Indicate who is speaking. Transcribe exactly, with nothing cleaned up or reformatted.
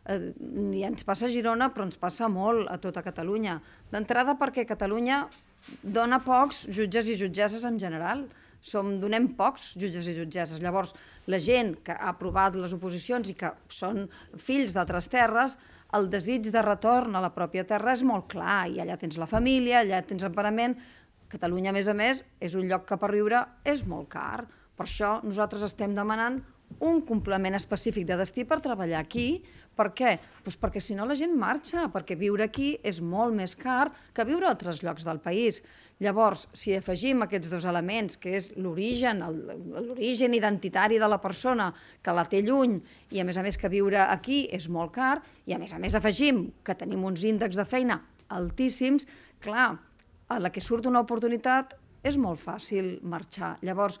Speaker 1: I ens passa a Girona, però ens passa molt a tota Catalunya. D'entrada perquè Catalunya dona pocs jutges i jutgesses en general. Som, donem pocs jutges i jutgesses. Llavors, la gent que ha aprovat les oposicions i que són fills d'altres terres, el desig de retorn a la pròpia terra és molt clar, i allà tens la família, allà tens emparament. Catalunya, a més a més, és un lloc que per viure és molt car. Per això nosaltres estem demanant un complement específic de destí per treballar aquí. Per què? Doncs perquè si no la gent marxa, perquè viure aquí és molt més car que viure a altres llocs del país. Llavors, si afegim aquests dos elements, que és l'origen, l'origen identitari de la persona, que la té lluny, i a més a més que viure aquí és molt car, i a més a més afegim que tenim uns índexs de feina altíssims, clar, a la que surt una oportunitat és molt fàcil marxar. Llavors,